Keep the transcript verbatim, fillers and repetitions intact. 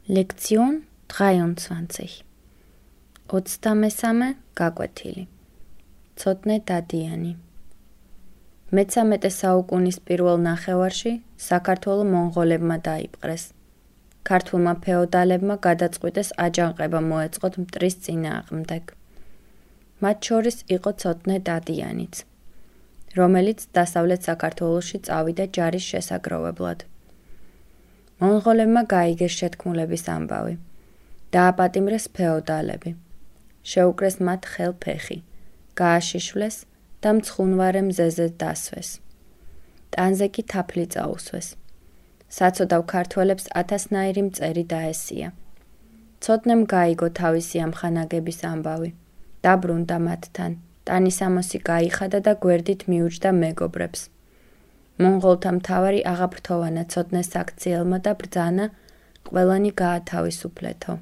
Lektion dreiundzwanzig. ოცდამესამე გაკვეთილი. ცოტნე დადიანი. მეცამეტე საუკუნის პირველ ნახევარში საქართველო მონღოლებმა დაიპყრეს. ქართულმა ფეოდალებმა გადაწყვიტეს აჯანყება მოეწყოთ მტრის წინააღმდეგ. მათ შორის იყო ცოტნე დადიანიც, რომელიც დასავლეთ საქართველოში წავიდა ჯარის შესაგროვებლად. მონღოლებმა გაიგეს შეთქმულების ამბავი. დააპატიმრეს ფეოდალები. შეუკრეს მათ ხელფეხი, გააშიშვლეს და მცხუნვარე მზეზე დასვეს. ტანზე კი თაფლი წაუსვეს. საცოდავ ქართველებს ათასნაირი მწერი დაესია. ცოტნემ გაიგო თავისი ამხანაგების ამბავი. დაბრუნდა მათთან, ტანისამოსი გაიხადა და გვერდით მიუჯდა მეგობრებს. მონღოლთა მთავარი აღაფრთოვანა ცოტნეს აქციელმა და ბრძანა ყველანი გაათავისუფლეთო.